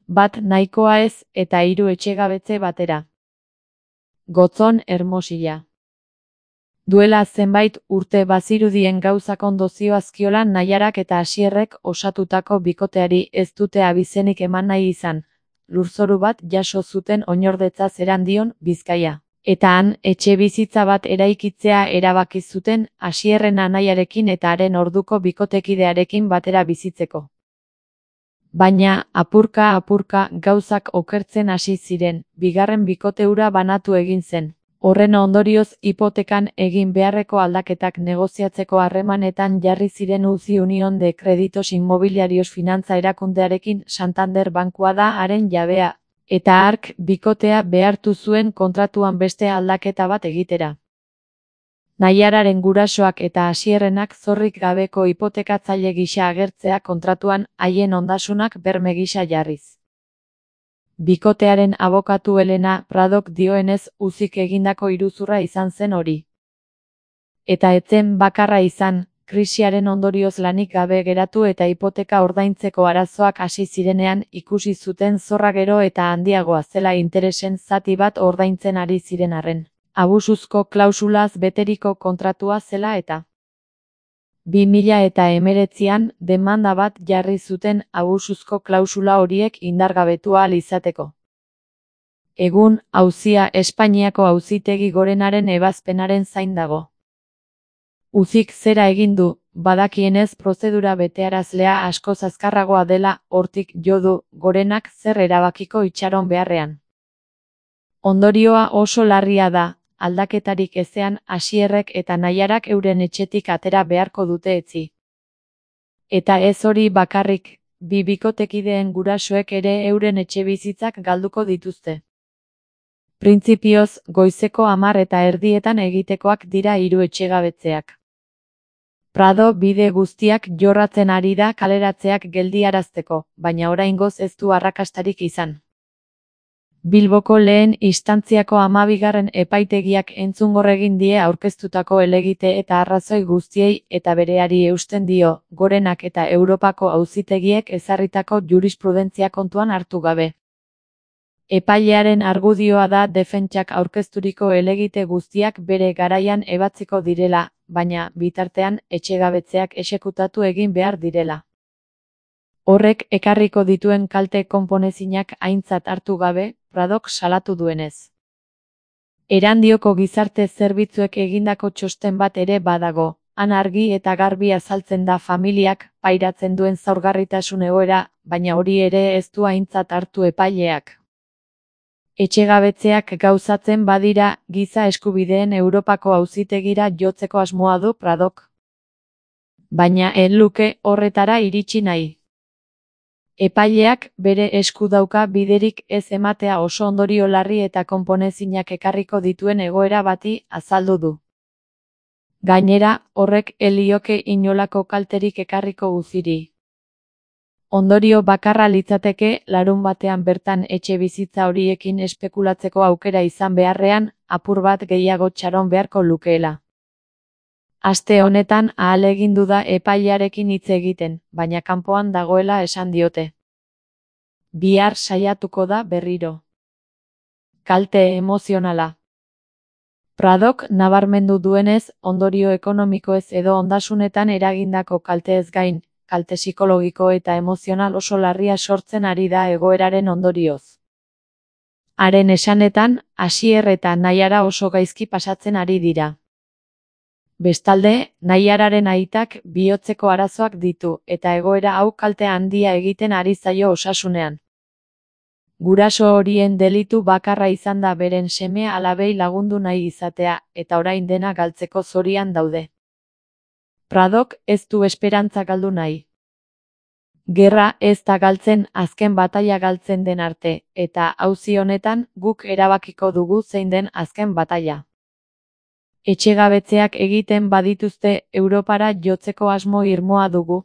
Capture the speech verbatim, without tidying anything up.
bat nahikoa ez eta hiru etxegabetze batera. Gotzon Hermosilla. Duela zenbait urte bazirudien gauzak ondo zioazkiola Naiarak eta Asierrek osatutako bikoteari ez dute abizenik eman nahi izan, lurzoru bat jaso zuten oinordetzaz Erandion, Bizkaia. Eta han, etxe bizitza bat eraikitzea erabaki zuten Asierren anaiarekin eta haren orduko bikotekidearekin batera bizitzeko. Baina, apurka-apurka gauzak okertzen hasi ziren, bigarren bikote hura banatu egin zen. Horren ondorioz hipotekan egin beharreko aldaketak negoziatzeko harremanetan jarri ziren Uzi Unión de Créditos Inmobiliarios finantza erakundearekin Santander bankua da haren jabea, eta hark bikotea behartu zuen kontratuan beste aldaketa bat egitera. Naiararen gurasoak eta Asierrenak zorrik gabeko hipotekatzaile gisa agertzea kontratuan haien ondasunak berme gisa jarriz. Bikotearen abokatu Elena Pradok dioenez Uzik egindako iruzurra izan zen hori. Eta etzen bakarra izan, krisiaren ondorioz lanik gabe geratu eta hipoteka ordaintzeko arazoak hasi zirenean ikusi zuten zorra gero eta handiagoa zela interesen zati bat ordaintzen ari ziren arren. Abusuzko klausulaz beteriko kontratua zela eta bi mila eta hemeretzian demanda bat jarri zuten abusuzko klausula horiek indargabetu ahal izateko. Egun, auzia Espainiako Auzitegi Gorenaren ebazpenaren zain dago. Uzik zera egin du, badakienez prozedura betearazlea askoz azkarragoa dela, hortik jo du Gorenak zer erabakiko itxaron beharrean. Ondorioa oso larria da, aldaketarik ezean Asierrek eta Naiarak euren etxetik atera beharko dute etzi. Eta ez hori bakarrik, bi bikotekideen gurasoek ere euren etxebizitzak galduko dituzte. Printzipioz, goizeko hamar eta erdietan egitekoak dira hiru etxegabetzeak. Prado bide guztiak jorratzen ari da kaleratzeak geldiarazteko, baina oraingoz ez du arrakastarik izan. Bilboko lehen instantziako hamabigarren epaitegiak entzungor egin die aurkeztutako helegite eta arrazoi guztiei eta bereari eusten dio, Gorenak eta Europako auzitegiek ezarritako jurisprudentzia kontuan hartu gabe. Epailearen argudioa da defentsak aurkezturiko helegite guztiak bere garaian ebatziko direla, baina, bitartean, etxegabetzeak exekutatu egin behar direla. Horrek ekarriko dituen kalte konponezinak aintzat hartu gabe, Pradok salatu duenez. Erandioko gizarte zerbitzuek egindako txosten bat ere badago, han argi eta garbi azaltzen da familiak pairatzen duen zaurgarritasun egoera, baina hori ere ez du aintzat hartu epaileak. Etxegabetzeak gauzatzen badira, giza eskubideen Europako auzitegira jotzeko asmoa du Pradok. Baina ez luke horretara iritsi nahi. Epaileak bere esku dauka biderik ez ematea oso ondorio larri eta konponezinak ekarriko dituen egoera bati azaldu du. Gainera, horrek elioke inolako kalterik ekarriko Uziri. Ondorio bakarra litzateke larun batean bertan etxe bizitza horiekin espekulatzeko aukera izan beharrean, apur bat gehiago txaron beharko lukeela. Aste honetan ahalegindu da epailearekin hitz egiten, baina kanpoan dagoela esan diote. Bihar saiatuko da berriro. Kalte emozionala. Pradok nabarmendu duenez, ondorio ekonomikoez edo ondasunetan eragindako kalteez gain, kalte psikologiko eta emozional oso larria sortzen ari da egoeraren ondorioz. Haren esanetan, Asier eta Naiara oso gaizki pasatzen ari dira. Bestalde, Naiararen aitak bihotzeko arazoak ditu, eta egoera hau kalte handia egiten ari zaio osasunean. Guraso horien delitu bakarra izan da beren seme alabei lagundu nahi izatea, eta orain dena galtzeko zorian daude. Pradok ez du esperantza galdu nahi. Gerra ez da galtzen azken bataila galtzen den arte, eta auzi honetan guk erabakiko dugu zein den azken bataila. Etxegabetzeak egiten badituzte Europara jotzeko asmo irmoa dugu.